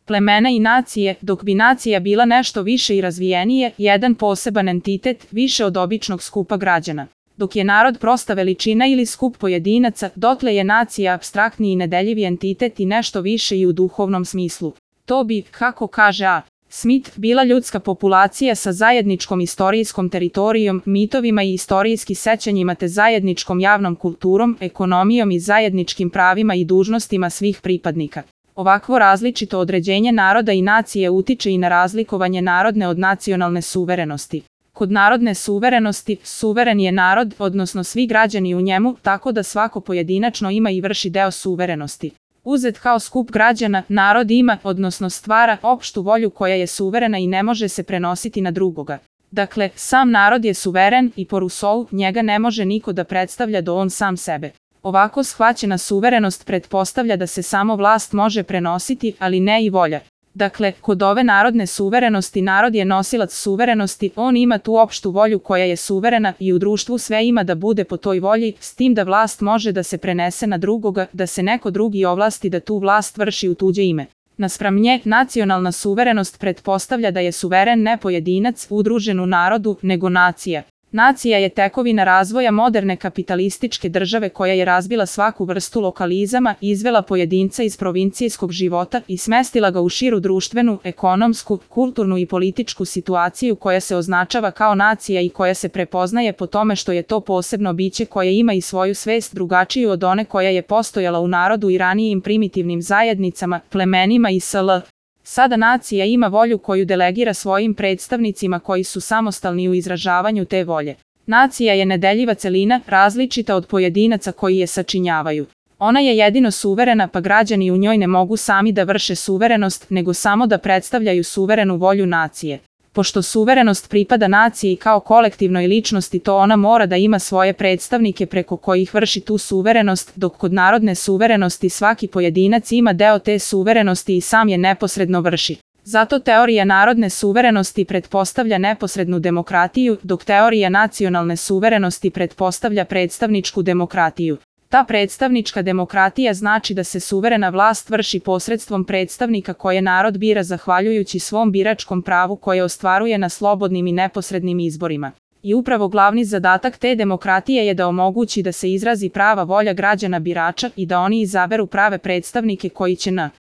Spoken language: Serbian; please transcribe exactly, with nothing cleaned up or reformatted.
plemena i nacije, dok bi nacija bila nešto više i razvijenije, jedan poseban entitet, više od običnog skupa građana. Dok je narod prosta veličina ili skup pojedinaca, dotle je nacija apstraktni i nedeljivi entitet i nešto više i u duhovnom smislu. To bi, kako kaže A. Smith, bila ljudska populacija sa zajedničkom istorijskom teritorijom, mitovima i istorijski sećanjima te zajedničkom javnom kulturom, ekonomijom i zajedničkim pravima i dužnostima svih pripadnika. Ovakvo različito određenje naroda i nacije utiče i na razlikovanje narodne od nacionalne suverenosti. Kod narodne suverenosti, suveren je narod, odnosno svi građani u njemu, tako da svako pojedinačno ima i vrši deo suverenosti. Uzet kao skup građana, narod ima, odnosno stvara, opštu volju koja je suverena i ne može se prenositi na drugoga. Dakle, sam narod je suveren i po Rousseau njega ne može niko da predstavlja do on sam sebe. Ovako shvaćena suverenost pretpostavlja da se samo vlast može prenositi, ali ne i volja. Dakle, kod ove narodne suverenosti narod je nosilac suverenosti, on ima tu opštu volju koja je suverena i u društvu sve ima da bude po toj volji, s tim da vlast može da se prenese na drugoga, da se neko drugi ovlasti da tu vlast vrši u tuđe ime. Naspram nje, nacionalna suverenost pretpostavlja da je suveren ne pojedinac udružen u narodu, nego nacija. Nacija je tekovina razvoja moderne kapitalističke države koja je razbila svaku vrstu lokalizama, izvela pojedinca iz provincijskog života i smestila ga u širu društvenu, ekonomsku, kulturnu i političku situaciju koja se označava kao nacija i koja se prepoznaje po tome što je to posebno biće koje ima i svoju svest drugačiju od one koja je postojala u narodu i ranijim primitivnim zajednicama, plemenima i sl. Sada nacija ima volju koju delegira svojim predstavnicima koji su samostalni u izražavanju te volje. Nacija je nedeljiva celina, različita od pojedinaca koji je sačinjavaju. Ona je jedino suverena pa građani u njoj ne mogu sami da vrše suverenost, nego samo da predstavljaju suverenu volju nacije. Pošto suverenost pripada naciji kao kolektivnoj ličnosti, to ona mora da ima svoje predstavnike preko kojih vrši tu suverenost, dok kod narodne suverenosti svaki pojedinac ima deo te suverenosti i sam je neposredno vrši. Zato teorija narodne suverenosti pretpostavlja neposrednu demokratiju, dok teorija nacionalne suverenosti pretpostavlja predstavničku demokratiju. Ta predstavnička demokratija znači da se suverena vlast vrši posredstvom predstavnika koje narod bira zahvaljujući svom biračkom pravu koje ostvaruje na slobodnim i neposrednim izborima. I upravo glavni zadatak te demokratije je da omogući da se izrazi prava volja građana birača i da oni izaberu prave predstavnike koji će na